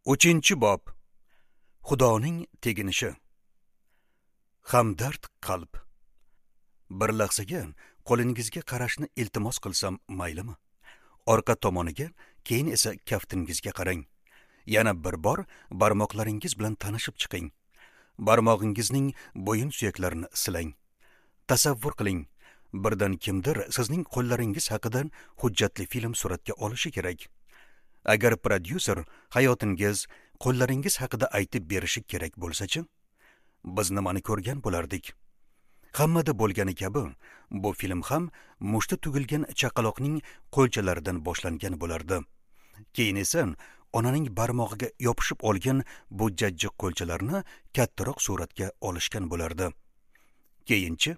3-bob. Xudoning teginishi. Hamdard qalb. Bir lahzaga qo'lingizga qarashni iltimos qilsam maylimi? Orqa tomoniga, keyin esa kaftingizga qarang. Yana bir bor barmoqlaringiz bilan tanishib chiqing. Barmog'ingizning bo'yin suyaklarini silang. Tasavvur qiling, birdan kimdir sizning qo'llaringiz haqida hujjatli film suratga olishi kerak. Agar prodyuser hayotingiz, qo'llaringiz haqida aytib berishi kerak bo'lsa-chi, biz nimani ko'rgan bo'lardik? Hammada bo'lgani kabi, bu film ham mushti tugilgan chaqaloqning qo'lchalaridan boshlangan bo'lardi. Keyin esa onaning barmog'iga yopishib olgan bu jajji qo'lchalarni kattaroq suratga olishgan bo'lardi. Keyinchi,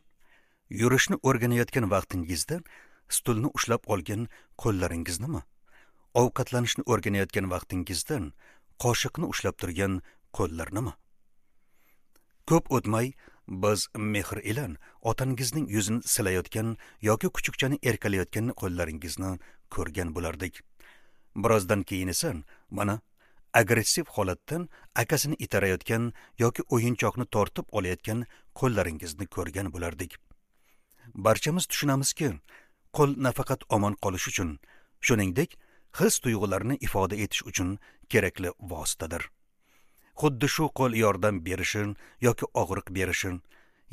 yurishni o'rganayotgan vaqtingizda stulni ushlab olgan qo'llaringiznimi? Ovqatlanishni o'rganayotgan vaqtingizda qoshiqni ushlab turgan qo'llarnimi? Ko'p o'tmay biz mehr bilan otangizning yuzini silayotgan yoki kuchukchani erkalayotgan qo'llaringizni ko'rgan bo'lardik. Birozdan keyin esa mana agressiv holatdan akasini itarayotgan yoki o'yinchoqni tortib olayotgan qo'llaringizni ko'rgan bo'lardik. Barchamiz tushunamizki, qo'l nafaqat omon qolish uchun, shuningdek, his tuyg'ularni ifoda etish uchun kerakli vositadir. Xuddi shu qo'l yordam berishi yoki og'riq berishi,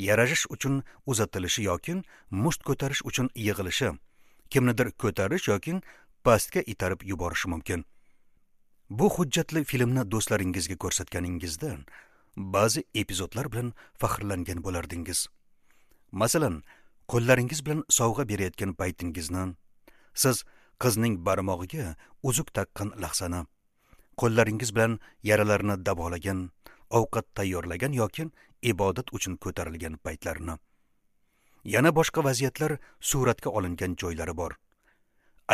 yarashish uchun uzatilishi yoki musht ko'tarish uchun yig'ilishi, kimnidir ko'tarish yoki pastga itarib yuborishi mumkin. Bu hujjatli filmni do'stlaringizga ko'rsatganingizda ba'zi epizodlar bilan faxrlangan bo'lardingiz. Masalan, qo'llaringiz bilan sovg'a berayotgan paytingizni, siz qizning barmog'iga uzuk taqqan lahzani, qo'llaringiz bilan yaralarni davolagan, ovqat tayyorlagan yoki ibodat uchun ko'tarilgan paytlarni. Yana boshqa vaziyatlar suratga olingan joylari bor.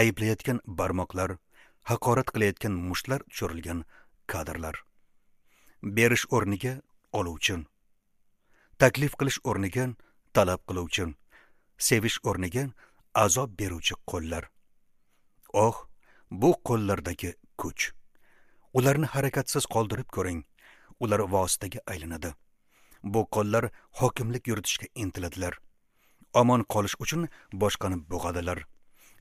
Ayblayotgan barmoqlar, haqorat qilayotgan mushtlar tushirilgan kadrlar. Berish o'rniga oluvchi, taklif qilish o'rniga talab qiluvchi, sevish o'rniga azob beruvchi qo'llar. Oh, bu qo'llardagi kuch. Ularni harakatsiz qoldirib ko'ring, ular vositaga aylanadi. Bu qo'llar hokimlik yuritishga intiladilar. Omon qolish uchun boshqani bo'g'adilar.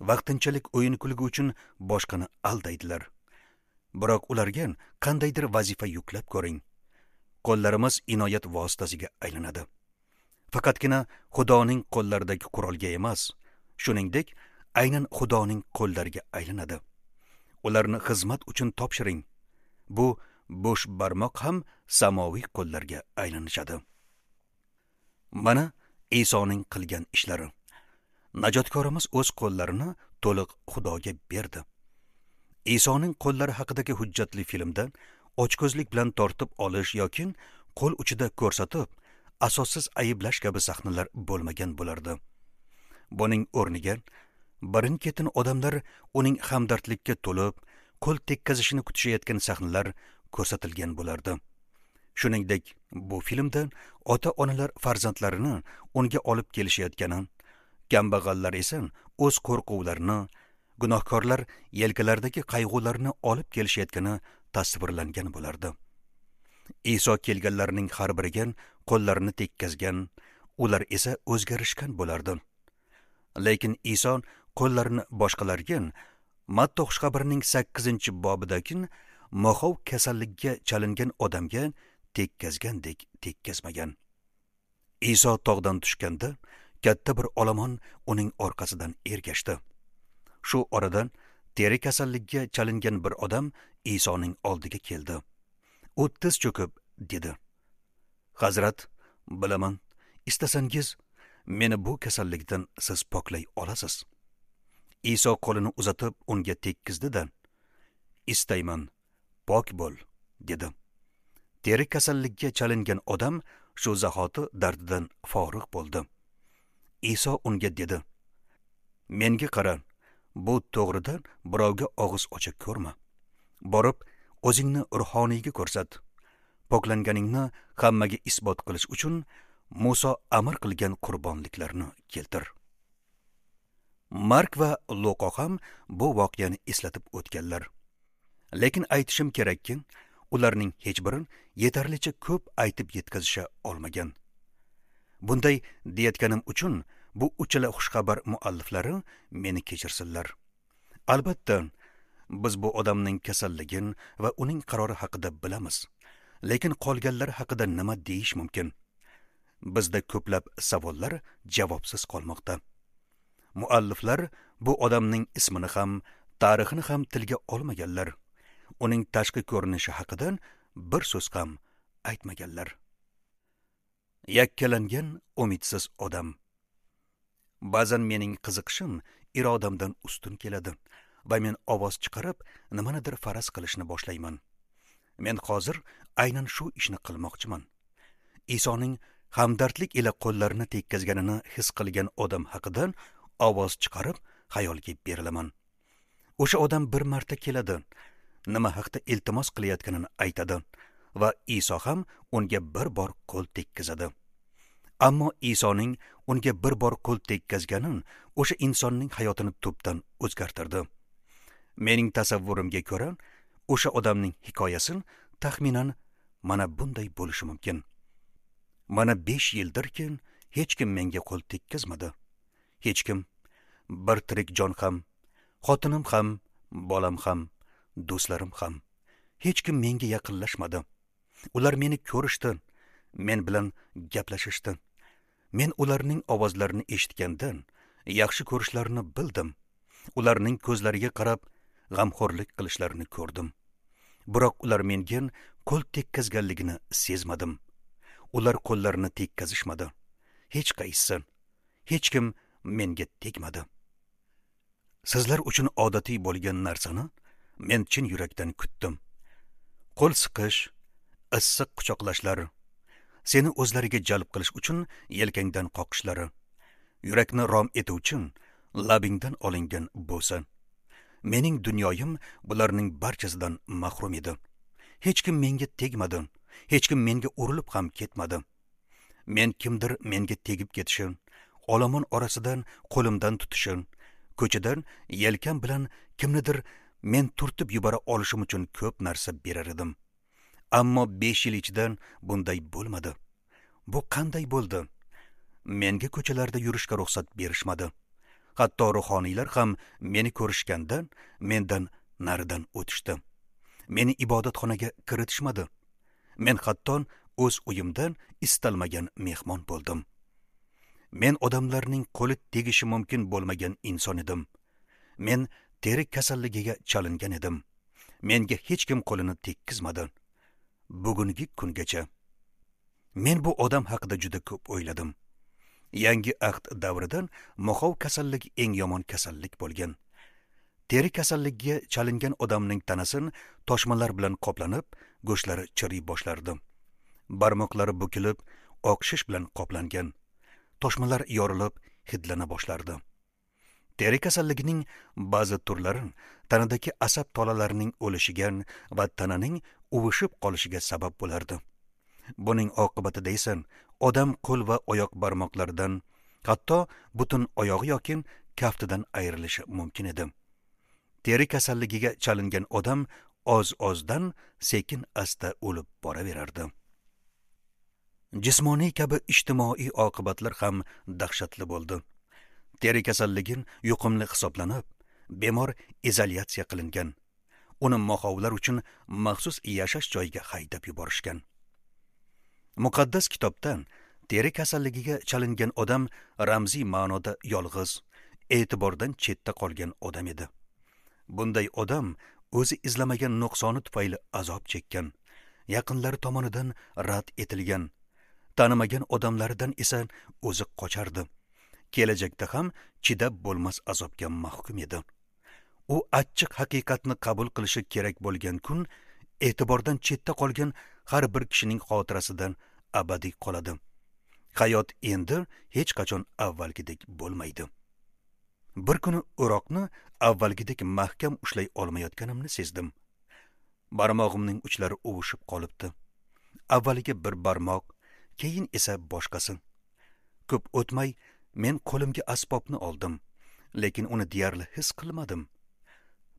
Vaqtinchalik o'yin kulgi uchun boshqani aldaydilar. Biroq ularga qandaydir vazifa yuklab ko'ring. Qo'llarimiz inoyat vositasiga aylanadi. Faqatgina Xudoning qo'llaridagi qurolga emas, shuningdek, aynan Xudoning qo'llariga aylanadi. Ularni xizmat uchun topshiring. Bu bo'sh barmoq ham samoviy qo'llarga aylanishadi. Mana Isoning qilgan ishlari. Najotkorimiz o'z qo'llarini to'liq Xudoga berdi. Isoning qo'llari haqidagi hujjatli filmda ochko'zlik bilan tortib olish yoki qo'l uchida ko'rsatib, asossiz ayblash kabi sahnalar bo'lmagan bo'lardi. Buning o'rniga birin-ketin odamlar uning hamdardlikka to'lib, qo'l tekkazishini kutishayotgan sahnalar ko'rsatilgan bo'lardi. Shuningdek, bu filmda ota-onalar farzandlarini unga olib kelishayotgani, kambag'allar esa o'z qo'rquvlarini, gunohkorlar yelkalaridagi qayg'ularni olib kelishayotgani tasvirlangan bo'lardi. Iso kelganlarning har biriga qo'llarini tekkazgan, ular esa o'zgarishgan bo'lardi. Lekin Iso qo'llarini boshqalarga Matta xushxabarining 8-bobidagi moxov kasalligiga chalingan odamga tekkazgandek tekkazmagan. Iso tog'dan tushganda katta bir olomon uning orqasidan ergashdi. Shu oradan teri kasalligiga chalingan bir odam Isoning oldiga keldi. U tiz cho'kib dedi: "Hazrat, bilaman, istasangiz meni bu kasallikdan siz poklay olasiz." Iso qo'lini uzatib unga tekkizdi-da, "Istayman, pok bo'l", dedi. Teri kasallikka chalingan odam shu zahoti dardidan forig' bo'ldi. Iso unga dedi: "Menga qara, bu to'g'rida birovga og'iz ocha ko'rma. Borib, o'zingni ruhoniyga ko'rsat. Poklanganingni hammaga isbot qilish uchun Muso amr qilgan qurbonliklarni keltir." Mark va Luqo ham bu voqeani eslatib o'tganlar. Lekin aytishim kerakki, Ularning hech biri yetarlicha ko'p aytib yetkazisha olmagan. Bunday deyayotganim uchun bu uchala xushxabar mualliflari meni kechirsinlar. Albatta, biz bu odamning kasalligini va uning qarori haqida bilamiz. Lekin qolganlar haqida nima deyish mumkin? Bizda ko'plab savollar javobsiz qolmoqda. Mualliflar bu odamning ismini ham, tarixini ham tilga olmaganlar. Uning tashqi ko'rinishi haqida bir so'z ham aytmaganlar. Yakkalangan umidsiz odam. Ba'zan mening qiziqishim irodamdan ustun keladi va men ovoz chiqarib nimanidir faraz qilishni boshlayman. Men hozir aynan shu ishni qilmoqchiman. Isoning hamdardlik ila qo'llarini tekkazganini his qilgan odam haqida ovoz chiqarib xayolga berilaman. O'sha odam bir marta keladi, nima haqda iltimos qilayotganini aytadi va Iso ham unga bir bor qo'l tekkazadi. Ammo Isoning unga bir bor qo'l tekkazgani o'sha insonning hayotini tubdan o'zgartirdi. Mening tasavvurimga ko'ra, o'sha odamning hikoyasi taxminan mana bunday bo'lishi mumkin. Mana 5 yildirki hech kim menga qo'l tekkazmadi. Hech kim, bir tirik jon ham, xotinim ham, bolam ham, do'stlarim ham, hech kim menga yaqinlashmadi. Ular meni ko'rishdi, men bilan gaplashishdi. Men ularning ovozlarini eshitgandan yaxshi ko'rishlarini bildim. Ularning ko'zlariga qarab g'amxo'rlik qilishlarini ko'rdim. Biroq ular menga qo'l tekkazganligini sezmadim. Ular qo'llarini tekkazishmadi. Hech qaysisi, hech kim menga tegmadi. Sizlar uchun odatiy bo'lgan narsani men chin yurakdan kutdim. Qo'l siqish, issiq quchoqlashlar, seni o'zlariga jalb qilish uchun yelkangdan qoqishlari, yurakni rom etuvchi labingdan olingan bo'sa. Mening dunyoyim bularning barchasidan mahrum edi. Hech kim menga tegmadi, hech kim menga urilib ham ketmadi. Men kimdir menga tegib ketishi, olomon orasidan qo'limdan tutishi, ko'chadan yelkam bilan kimnidir men turtib yubora olishim uchun ko'p narsa berar edim. Ammo 5 yil ichidan bunday bo'lmadi. Bu qanday bo'ldi? Menga ko'chalarda yurishga ruxsat berishmadi. Hatto ruhoniylar ham meni ko'rishganda mendan naridan o'tishdi. Meni ibodatxonaga kiritishmadi. Men hatto o'z uyimdan istalmagan mehmon bo'ldim. Men odamlarning qo'li tegishi mumkin bo'lmagan inson edim. Men teri kasalligiga chalingan edim. Menga hech kim qo'lini tekkizmadi. Bugungi kungacha. Men bu odam haqida juda ko'p o'yladim. Yangi ahd davridan moxov kasalligi eng yomon kasallik bo'lgan. Teri kasalligiga chalingan odamning tanasi toshmalar bilan qoplanib, go'shtlari chiriy boshlardi. Barmoqlari bukilib, oq shish bilan qoplangan. Toshmalar yorilib, hidlana boshlardi. Teri kasalligining ba'zi turlari tanadagi asab tolalarining o'lishiga va tananing uvishib qolishiga sabab bo'lardi. Buning oqibatida esa odam qo'l va oyoq barmoqlaridan, hatto butun oyog'i yoki kaftidan ayrilishi mumkin edi. Teri kasalligiga chalingan odam oz-ozdan sekin-asta o'lib boraverardi. Jismoniy kabi ijtimoiy oqibatlar ham dahshatli bo'ldi. Teri kasalligi yuqumli hisoblanib, bemor izolyatsiya qilingan. Uni moxovlar uchun maxsus yashash joyiga haydab yuborishgan. Muqaddas kitobdan teri kasalligiga chalingan odam ramziy ma'noda yolg'iz, e'tibordan chetda qolgan odam edi. Bunday odam o'zi izlamagan nuqsoni tufayli azob chekkan, yaqinlari tomonidan rad etilgan, tanimagan odamlardan esa o'zi qochardi. Kelajakda ham chidab bo'lmas azobga mahkum edi. U achchiq haqiqatni qabul qilishi kerak bo'lgan kun e'tibordan chetda qolgan har bir kishining xotirasidan abadiy qoladi. Hayot endi hech qachon avvalgidek bo'lmaydi. Bir kuni o'roqni avvalgidek mahkam ushlay olmayotganimni sezdim. Barmog'imning uchlari uvushib qolibdi. Avvaliga bir barmoq, keyin esa boshqasi. Ko'p o'tmay men qo'limga asbobni oldim, lekin uni deyarli his qilmadim.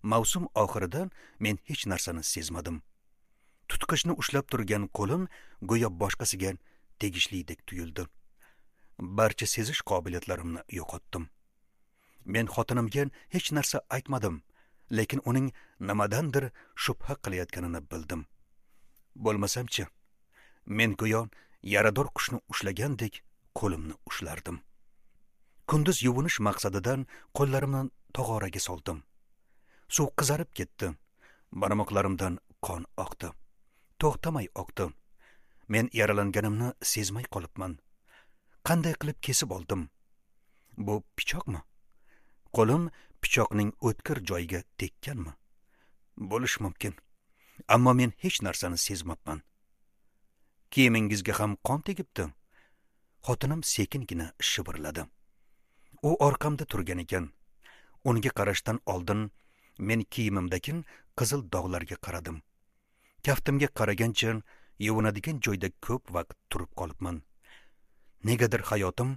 Mavsum oxirida men hech narsani sezmadim. Tutqichni ushlab turgan qo'lim go'yo boshqasiga tegishlidek tuyuldi. Barcha sezish qobiliyatlarimni yo'qotdim. Men xotinimga hech narsa aytmadim, lekin uning nimadandir shubha qilayotganini bildim. Bo'lmasamchi, men go'yo yarador qushni ushlagandek qo'limni ushlardim. Kunduz yuvinish maqsadidan qo'llarimni tog'oraga soldim. Suv qizarib ketdi. Barmoqlarimdan qon oqdi. To'xtamay oqdi. Men yaralanganimni sezmay qolibman. Qanday qilib kesib oldim? Bu pichoqmi? Qo'lim pichoqning o'tkir joyiga tekkanmi? Bo'lishi mumkin. Ammo men hech narsani sezmabman. Kiyimingizga ham qon tegibdi. Xotinim sekingina shivirladi. U orqamda turgan ekan. Unga qarashdan oldin men kiyimimdagi qizil dog'larga qaradim. Kaftimga qaragancha yuvinadigan joyda ko'p vaqt turib qolibman. Negadir hayotim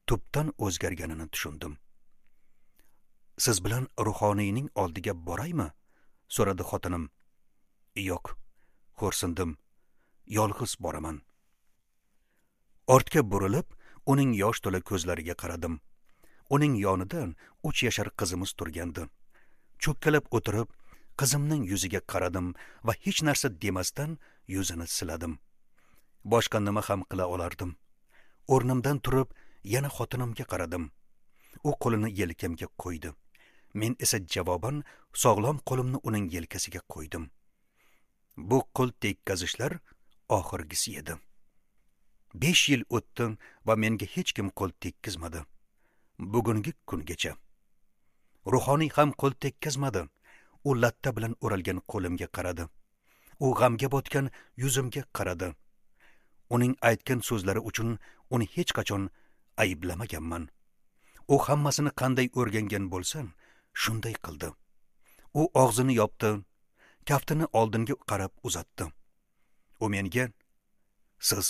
tubdan o'zgarganini tushundim. Siz bilan ruhoniyning oldiga boraymi? So'radi xotinim. Yo'q, xo'rsindim. Yolg'iz boraman. Ortga burilib, uning yosh to'la ko'zlariga qaradim. Uning yonida 3 yashar qizimiz turgandi. Cho'kkalab o'tirib, qizimning yuziga qaradim va hech narsa demasdan yuzini siladim. Boshqa nima ham qila olardim? O'rnimdan turib, yana xotinimga qaradim. U qo'lini yelkamga qo'ydi. Men esa javoban sog'lom qo'limni uning yelkasiga qo'ydim. Bu qo'l tekkazishlar oxirgisi edi. 5 yil o'tdi va menga hech kim qo'l tekkizmadi. Bugungi kungacha. Ruhoniy ham qo'l tekkizmadi. U latta bilan o'ralgan qo'limga qaradi. U g'amga botgan yuzimga qaradi. Uning aytgan so'zlari uchun uni hech qachon ayblamaganman. U hammasini qanday o'rgangan bo'lsa, shunday qildi. U og'zini yopdi, kaftini oldinga qarab uzatdi. U menga: "Siz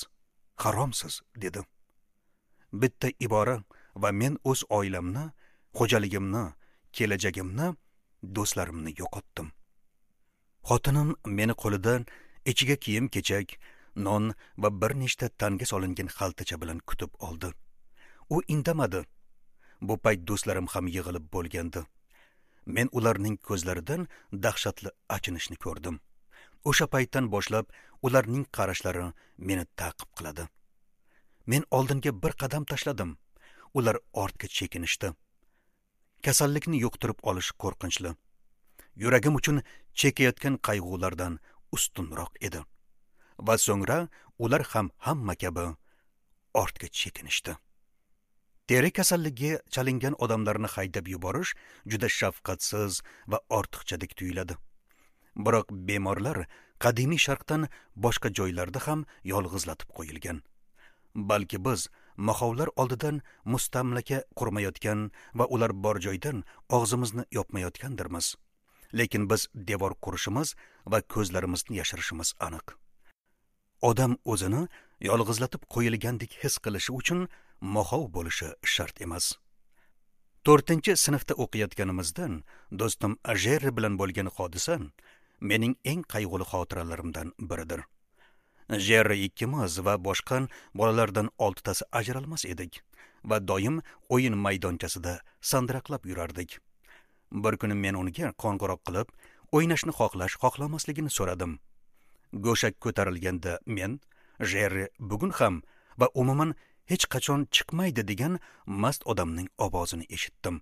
haromsiz" dedi. Bitta ibora va men o'z oilamni, xo'jaligimni, kelajagimni, do'stlarimni yo'qotdim. Xotinim meni qo'lidan ichiga kiyim-kechak, non va bir nechta tanga solingan xaltacha bilan kutib oldi. U indamadi. Bu payt do'stlarim ham yig'ilib bo'lgandi. Men ularning ko'zlaridan dahshatli achinishni ko'rdim. O'sha paytdan boshlab ularning qarashlari meni ta'qib qiladi. Men oldinga bir qadam tashladim. Ular ortga chekinishdi. Kasallikni yuqtirib olish qo'rqinchli. Yuragim uchun chekayotgan qayg'ulardan ustunroq edi. Va so'ngra ular ham hamma kabi ortga chekinishdi. Teri kasalligiga chalingan odamlarni haydab yuborish juda shafqatsiz va ortiqchadek tuyuladi. Biroq bemorlar qadimiy sharqdan boshqa joylarda ham yolg'izlatib qo'yilgan. Balki biz mahovlar oldidan mustamlaka qurmayotgan va ular bor joydan og'zimizni yopmayotgandirmiz. Lekin biz devor qurishimiz va ko'zlarimizni yashirishimiz aniq. Odam o'zini yolg'izlatib qo'yilgandek his qilishi uchun mahov bo'lishi shart emas. 4-sinfda o'qiyotganimizdan do'stim Jerri bilan bo'lgan hodisa mening eng qayg'uli xotiralarimdan biridir. Jerri ikkimiz va boshqa bolalardan 6 tasi ajralmas edik va doim o'yin maydonchasida sandiraqlab yurardik. Bir kuni men unga qo'ng'iroq qilib, o'ynashni xohlash xohlamasligini so'radim. Go'shak ko'tarilganda men Jerri bugun ham va umuman hech qachon chiqmaydi degan mast odamning ovozini eshitdim.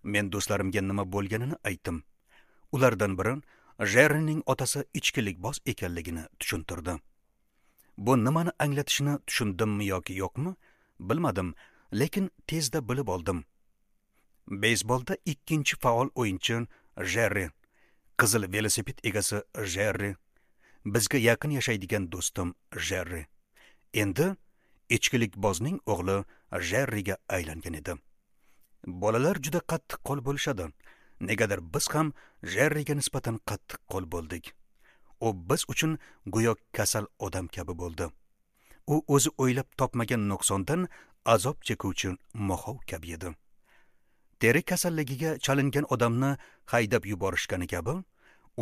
Men do'stlarimga nima bo'lganini aytdim. Ulardan biri Jerrining otasi ichkilikboz ekanligini tushuntirdi. Bu nimani anglatishini tushundimmi yoki yo'qmi, bilmadim, lekin tezda bilib oldim. Beysbolda 2-chi faol o'yinchi Jerri, qizil velosiped egasi Jerri, bizga yaqin yashaydigan do'stim Jerri. Endi ichkilikbozning o'g'li Jerriga aylangan edi. Bolalar juda qattiq qo'l bo'lishadi. Negadir biz ham Jerriga nisbatan qattiq qo'l bo'ldik. U biz uchun go'yo kasal odam kabi bo'ldi. U o'zi o'ylab topmagan nuqsondan azob chekuvchi mahov kabi edi. Teri kasalligiga chalingan odamni haydab yuborishgani kabi,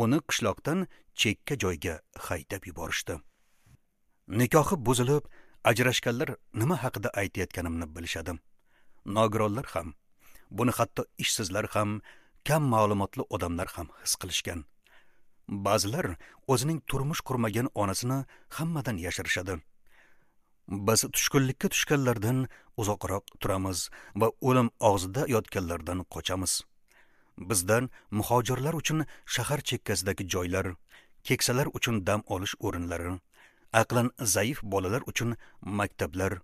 Uni qishloqdan chekka joyga haydab yuborishdi. Nikohi buzilib, ajrashganlar nima haqida aytayotganimni bilishadi. Nogironlar ham, buni hatto ishsizlar ham, kam ma'lumotli odamlar ham his qilishgan. Ba'zilar o'zining turmush qurmagan onasini hammadan yashirishadi. Biz tushkunlikka tushganlardan uzoqroq turamiz va o'lim og'zida yotganlardan qochamiz. Bizdan muhojirlar uchun shahar chekkasidagi joylar, keksalar uchun dam olish o'rinlari, aqlan zaif bolalar uchun maktablar,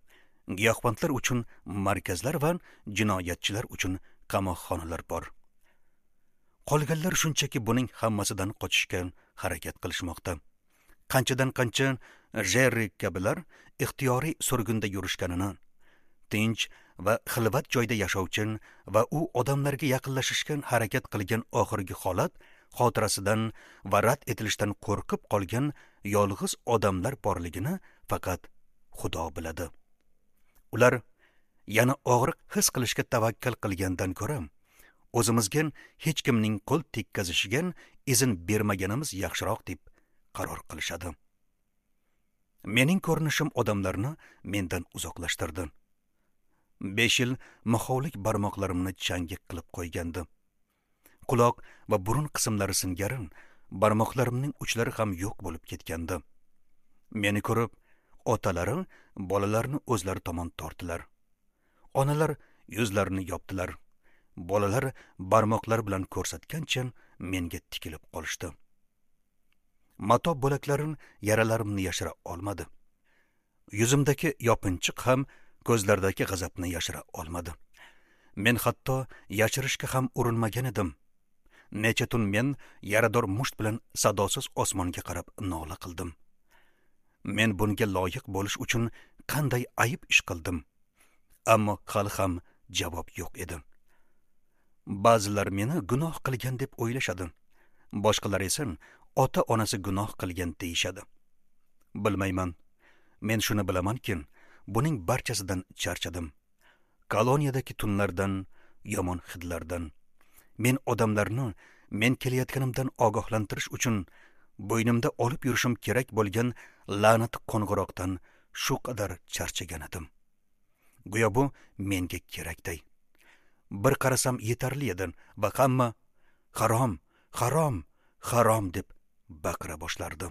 giyohvandlar uchun markazlar va jinoyatchilar uchun qamoqxonalar bor. Qolganlar shunchaki buning hammasidan qochishga harakat qilishmoqda. Qanchadan qancha Jerri kabilar ixtiyoriy surgunda yurishganini, tinch va xilvat joyda yashovchi va u odamlarga yaqinlashishga harakat qilgan oxirgi holat xotirasidan va rad etilishdan qo'rqib qolgan yolg'iz odamlar borligini faqat Xudo biladi. Ular yana og'riq his qilishga tavakkal qilgandan ko'ra, o'zimizga hech kimning qo'l tekkazishiga izn bermaganimiz yaxshiroq deb qaror qilishadi. Mening ko'rinishim odamlarni mendan uzoqlashtirdi. 5 yil mahovlik barmoqlarimni changga qilib qo'ygandi. Quloq va burun qismlari singari barmoqlarimning uchlari ham yo'q bo'lib ketgandi. Meni ko'rib, otalari bolalarni o'zlari tomon tortdilar. Onalar yuzlarini yopdilar. Bolalar barmoqlari bilan ko'rsatgancha menga tikilib qolishdi. Mato bo'laklarim yaralarimni yashira olmadi. Yuzimdagi yopinchiq ham ko'zlardagi g'azabni yashira olmadi. Men hatto yashirishga ham urinmagan edim. Necha tun men yarador musht bilan sadosiz osmonga qarab nola qildim. Men bunga loyiq bo'lish uchun qanday ayib ish qildim? Ammo hali ham javob yo'q edi. Ba'zilar meni gunoh qilgan deb o'ylashadi. Boshqalar esa ota-onasi gunoh qilgan deyishadi. Bilmayman. Men shuni bilamanki, buning barchasidan charchadim. Koloniyadagi tunlardan, yomon hidlardan. Men odamlarni men kelayotganimdan ogohlantirish uchun bo'ynimda olib yurishim kerak bo'lgan la'nat qo'ng'iroqdan shu qadar charchagan edim. Go'yo bu menga kerakday. Bir qarasam yetarli edi va hamma harom, harom, harom deb baqira boshlardi.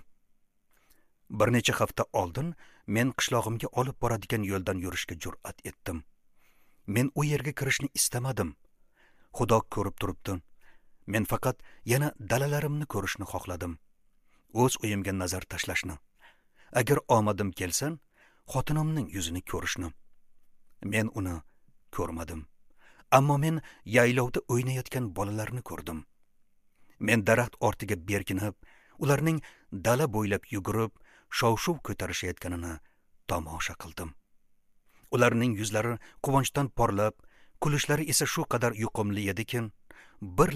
Bir necha hafta oldin men qishlog'imga olib boradigan yo'ldan yurishga jur'at etdim. Men u yerga kirishni istamadim. Xudo ko'rib turibdi. Men faqat yana dalalarimni ko'rishni xohladim. O'z uyimga nazar tashlashni. Agar omadim kelsa, xotinimning yuzini ko'rishni. Men uni ko'rmadim. Ammo men yaylovda o'ynayotgan bolalarni ko'rdim. Men daraxt ortiga berkinib, ularning dala bo'ylab yugurib, shov-shuv ko'tarishayotganini tomosha qildim. Ularning yuzlari quvonchdan porlab, kulishlari esa shu qadar yuqumli ediki, bir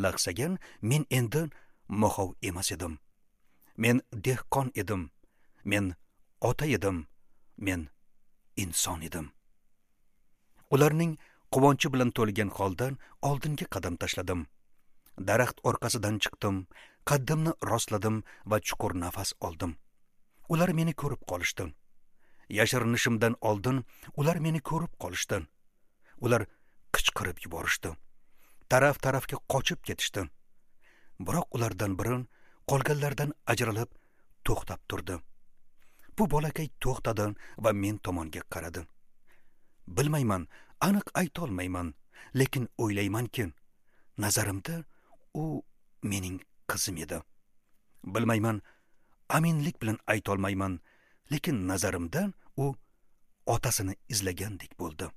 lahzaga men endi moxov emas edim. Men dehqon edim. Men ota edim. Men inson edim. Ularning quvonchi bilan to'lgan holda oldinga qadam tashladim. Daraxt orqasidan chiqdim, qaddimni rostladim va chuqur nafas oldim. Ular meni ko'rib qolishdi. Yashirinishimdan oldin ular meni ko'rib qolishdi. Ular qichqirib yuborishdi. Taraf-tarafga qochib ketishdi. Biroq ulardan biri qolganlardan ajralib to'xtab turdi. Bu bolakay to'xtadi va men tomonga qaradi. Bilmayman, aniq ayta olmayman, lekin o'ylaymanki, nazarimda u mening qizim edi. Bilmayman, aminlik bilan ayta olmayman, lekin nazarimda u otasini izlagandek bo'ldi.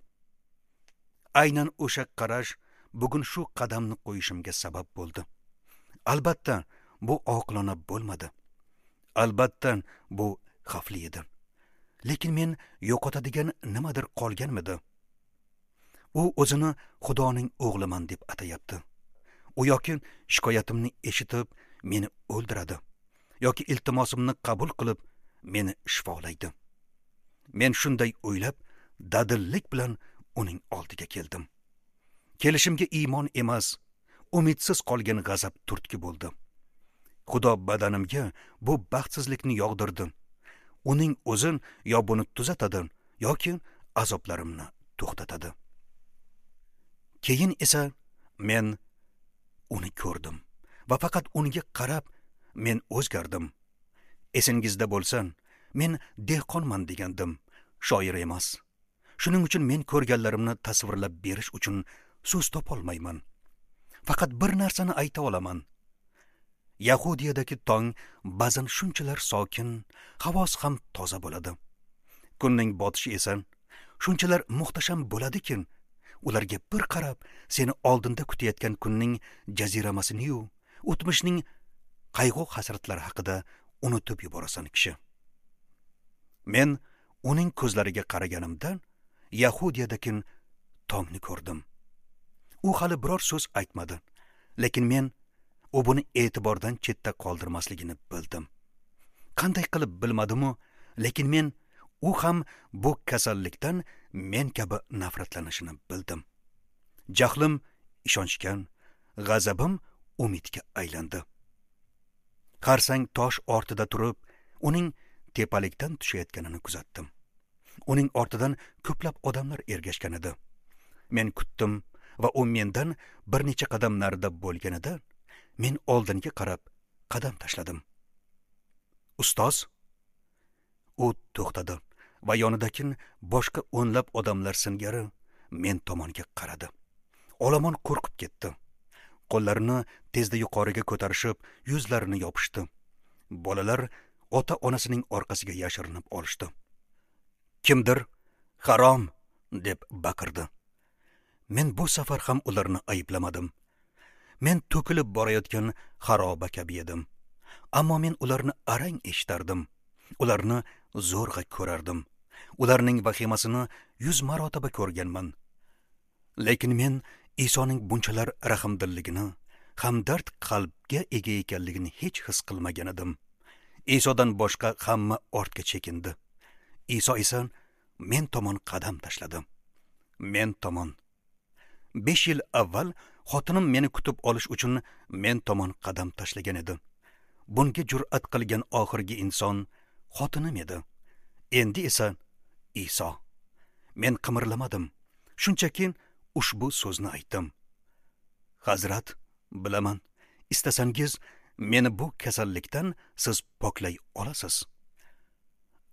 Aynan o'sha qarash bugun shu qadamni qo'yishimga sabab bo'ldi. Albatta, bu oqilona bo'lmadi. Albatta, bu xavfli edi. Lekin men yo'qotadigan nimadir qolganmidi? U o'zini Xudoning o'g'liman deb atayapti. U yoki shikoyatimni eshitib meni o'ldiradi, yoki iltimosimni qabul qilib meni shifolaydi. Men shunday o'ylab, dadillik bilan uning oldiga keldim. Kelishimga iymon emas, umidsiz qolgan g'azab turtki bo'ldi. Xudo badanimga bu baxtsizlikni yog'dirdi. Uning o'zi yo buni tuzatadi yoki azoblarimni to'xtatadi. Keyin esa men uni ko'rdim va faqat unga qarab men o'zgardim. Esingizda bo'lsin, men dehqonman degandim, shoir emas. Shuning uchun men ko'rganlarimni tasvirlab berish uchun so'z topolmayman. Faqat bir narsani ayta olaman. Yahudiyadagi tong ba'zan shunchalar sokin, havosi ham toza bo'ladi. Kunning botishi esa shunchalar muhtasham bo'ladiki, ularga bir qarab seni oldinda kutayotgan kunning jaziramasini-yu, o'tmishning qayg'u hasratlari haqida unutib yuborasan kishi. Men uning ko'zlariga qaraganimda Yahudiyadagi tongni ko'rdim. U hali biror so'z aytmadi, lekin men u buni e'tibordan chetda qoldirmasligini bildim. Qanday qilib bilmadim-u, lekin men u ham bu kasallikdan men kabi nafratlanishini bildim. Jahlim ishonchga, g'azabim umidga aylandi. Xarsang tosh ortida turib, uning tepalikdan tushayotganini kuzatdim. Uning ortidan ko'plab odamlar ergashgan edi. Men kutdim va u mendan bir necha qadam narida bo'lganida men oldinga qarab qadam tashladim. Ustoz! U to'xtadi va yonidagi boshqa o'nlab odamlar singari men tomonga qaradi. Olomon qo'rqib ketdi. Qo'llarini tezda yuqoriga ko'tarishib, yuzlarini yopishdi. Bolalar ota-onasining orqasiga yashirinib olishdi. Kimdir "Harom!" deb baqirdi. Men bu safar ham ularni ayblamadim. Men to'kilib borayotgan xaroba kabi edim. Ammo men ularni arang eshitardim. Ularni zo'rg'a ko'rardim. Ularning vahimasini 100 marotaba ko'rganman. Lekin men Isoning bunchalar rahmdilligini, hamdard qalbga ega ekanligini hech his qilmagan edim. Isodan boshqa hamma ortga chekindi. Iso esa men tomon qadam tashladi. Men tomon. 5 yil avval xotinim meni kutib olish uchun men tomon qadam tashlagan edi. Bunga jur'at qilgan oxirgi inson xotinim edi. Endi esa Iso. Men qimirlamadim. Shunchaki ushbu so'zni aytdim. Hazrat, bilaman, istasangiz meni bu kasallikdan siz poklay olasiz.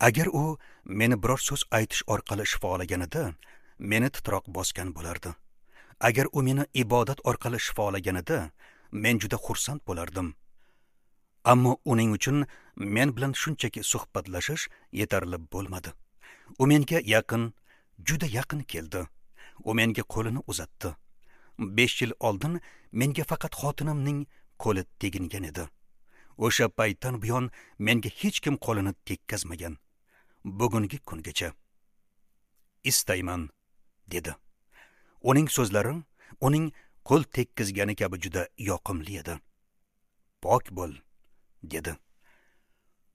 Agar u meni biror so'z aytish orqali shifolaganida, meni titroq bosgan bo'lardi. Agar u meni ibodat orqali shifolaganida, men juda xursand bo'lardim. Ammo uning uchun men bilan shunchaki suhbatlashish yetarli bo'lmadi. U menga yaqin, juda yaqin keldi. U menga qo'lini uzatdi. 5 yil oldin menga faqat xotinimning qo'li tegingan edi. O'sha paytdan buyon menga hech kim qo'lini tekkazmagan. Bugungi kungacha. Istayman, dedi. Uning so'zlari uning qo'l tekkizgani kabi juda yoqimli edi. Pok bo'l, dedi.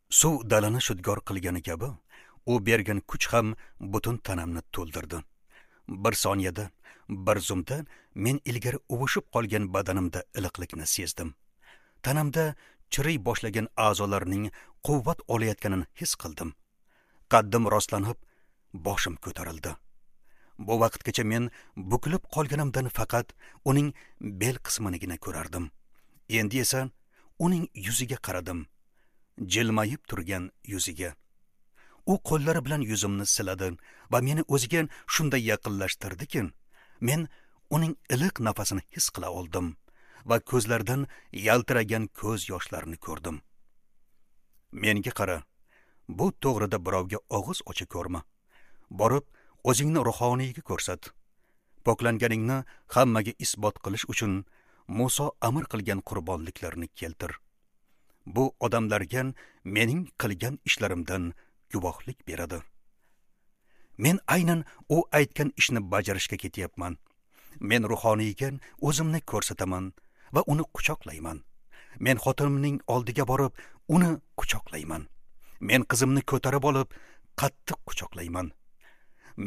Suv dalani shudgor qilgani kabi, u bergan kuch ham butun tanamni to'ldirdi. Bir soniyada, bir zumda men ilgari uvushib qolgan badanimda iliqlikni sezdim. Tanamda chiriy boshlagan a'zolarning quvvat olayotganini his qildim. Qaddim rostlanib, boshim ko'tarildi. Bu vaqtgacha men bukilib qolganimdan faqat uning bel qisminigina ko'rardim. Endi esa uning yuziga qaradim. Jilmayib turgan yuziga. U qo'llari bilan yuzimni siladi va meni o'ziga shunday yaqinlashtirdiki, men uning iliq nafasini his qila oldim va ko'zlaridan yaltiragan ko'z yoshlarini ko'rdim. Menga qara, bu to'g'rida birovga og'iz ocha ko'rma. Borib o'zingni ruhoniyga ko'rsat. Poklanganingni hammaga isbot qilish uchun Muso amr qilgan qurbonliklarni keltir. Bu odamlarga mening qilgan ishlarimdan guvohlik beradi. Men aynan u aytgan ishni bajarishga ketyapman. Men ruhoniyga o'zimni ko'rsataman va uni quchoqlayman. Men xotinimning oldiga borib, uni quchoqlayman. Men qizimni ko'tarib olib, qattiq quchoqlayman.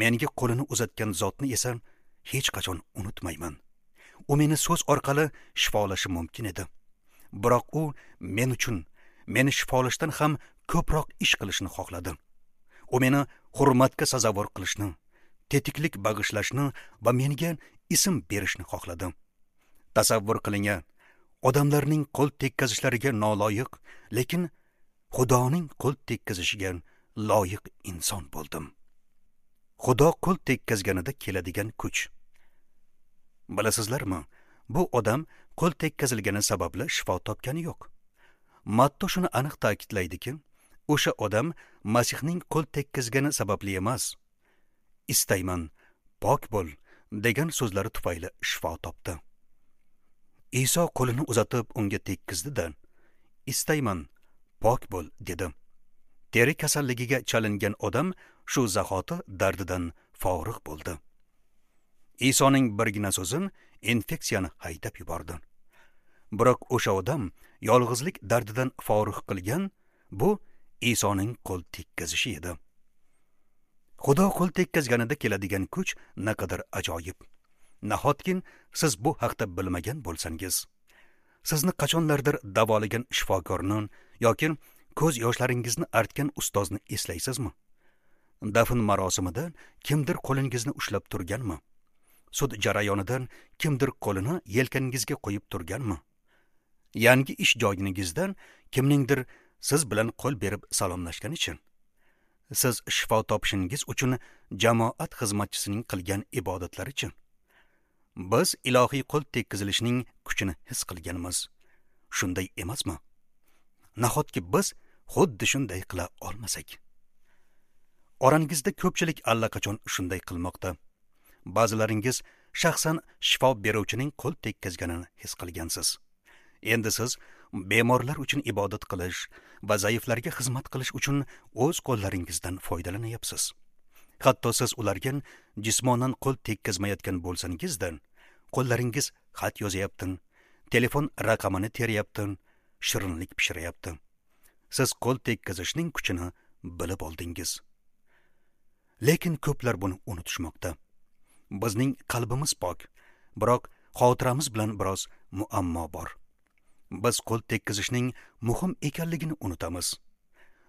Menga qo'lini uzatgan zotni esa hech qachon unutmayman. U meni so'z orqali shifolashi mumkin edi. Biroq u men uchun meni shifolashdan ham ko'proq ish qilishni xohladi. U meni hurmatga sazovor qilishni, tetiklik bag'ishlashni va menga ism berishni xohladi. Tasavvur qiling, odamlarning qo'l tekkazishlariga noloyiq, lekin Xudoning qo'l tekkazishiga loyiq inson bo'ldim. Xudo qo'l tekkazganida keladigan kuch. Bilasizlarmi, bu odam qo'l tekkazilgani sababli shifo topgani yo'q. Matto shuni aniq ta'kidlaydiki, o'sha odam Masihning qo'l tekkazgani sababli emas, istayman, pok bo'l degan so'zlari tufayli shifo topdi. Iso qo'lini uzatib unga tekkizdi-da, istayman, pok bo'l dedi. Teri kasalligiga chalingan odam shu zahoti dardidan forig' bo'ldi. Isoning birgina so'zi infeksiyani haydab yubordi. Biroq o'sha odam yolg'izlik dardidan forig' qilgan bu Isoning qo'l tekkazishi edi. Xudo qo'l tekkazganida keladigan kuch naqadar ajoyib. Nahotki siz bu haqda bilmagan bo'lsangiz, sizni qachonlardir davolagan shifokorni yoki ko'z yoshlaringizni artgan ustozni eslaysizmi? Dafn marosimida kimdir qo'lingizni ushlab turganmi? Sud jarayonida kimdir qo'lini yelkangizga qo'yib turganmi? Yangi ish joyingizdan kimningdir siz bilan qo'l berib salomlashganichi? Siz shifo topishingiz uchun jamoat xizmatchisining qilgan ibodatlarichi? Biz ilohiy qo'l tekkizilishining kuchini his qilganmiz. Shunday emasmi? Nahotki biz xuddi shunday qila olmasak? Orangizda ko'pchilik allaqachon shunday qilmoqda. Ba'zilaringiz shaxsan shifo beruvchining qo'l tekkizganini his qilgansiz. Endi siz bemorlar uchun ibodat qilish va zaiflarga xizmat qilish uchun o'z qo'llaringizdan foydalanyapsiz. Hatto siz ularga jismonan qo'l tekkizmayotgan bo'lsangizda, qo'llaringiz xat yozayapti, telefon raqamini teryapti, shirinlik pishiryapti. Siz qo'l tekkizishning kuchini bilib oldingiz. Lekin ko'plar buni unutishmoqda. Bizning qalbimiz pok, biroq xotiramiz bilan biroz muammo bor. Biz qo'l tekkizishning muhim ekanligini unutamiz.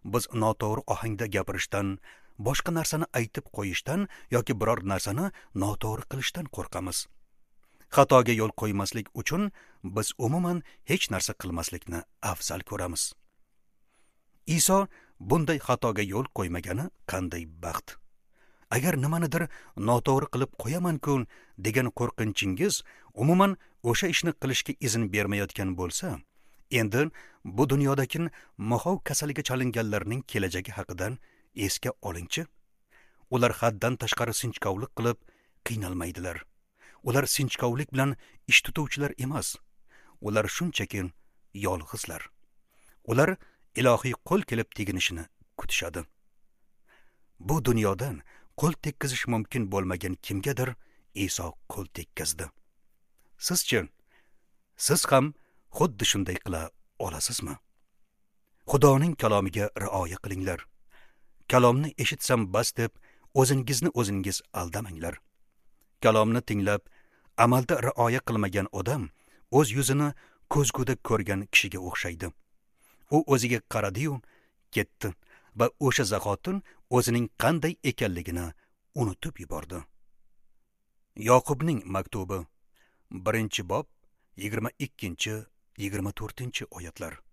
Biz noto'g'ri ohangda gapirishdan, boshqa narsani aytib qo'yishdan yoki biror narsani noto'g'ri qilishdan qo'rqamiz. Xatoga yo'l qo'ymaslik uchun biz umuman hech narsa qilmaslikni afzal ko'ramiz. Iso bunday xatoga yo'l qo'ymagani qanday baxt. Agar nimanidir noto'g'ri qilib qo'yaman-ku degan qo'rqinchingiz umuman o'sha ishni qilishga izn bermayotgan bo'lsa, endi bu dunyodagi mahov kasaliga chalinganlarning kelajagi haqidan esga olingchi. Ular haddan tashqari sinchkovlik qilib qiynalmaydilar. Ular sinchkovlik bilan ish tutuvchilar emas. Ular shunchaki yolg'izlar. Ular ilohiy qo'l kelib teginishini kutishadi. Bu dunyodan qo'l tekkizish mumkin bo'lmagan kimgadir Iso qo'l tekkizdi. Sizchi, siz ham xuddi shunday qila olasizmi? Xudoning kalomiga rioya qilinglar. Kalomni eshitsam bas deb o'zingizni o'zingiz aldamanglar. Kalomni tinglab, amalda rioya qilmagan odam o'z yuzini ko'zguda ko'rgan kishiga o'xshaydi. U o'ziga qaradi-yu, ketdi va o'sha zahotin o'zining qanday ekanligini unutib yubordi. Yoqubning maktubi, 1-bob, 22-24 oyatlar.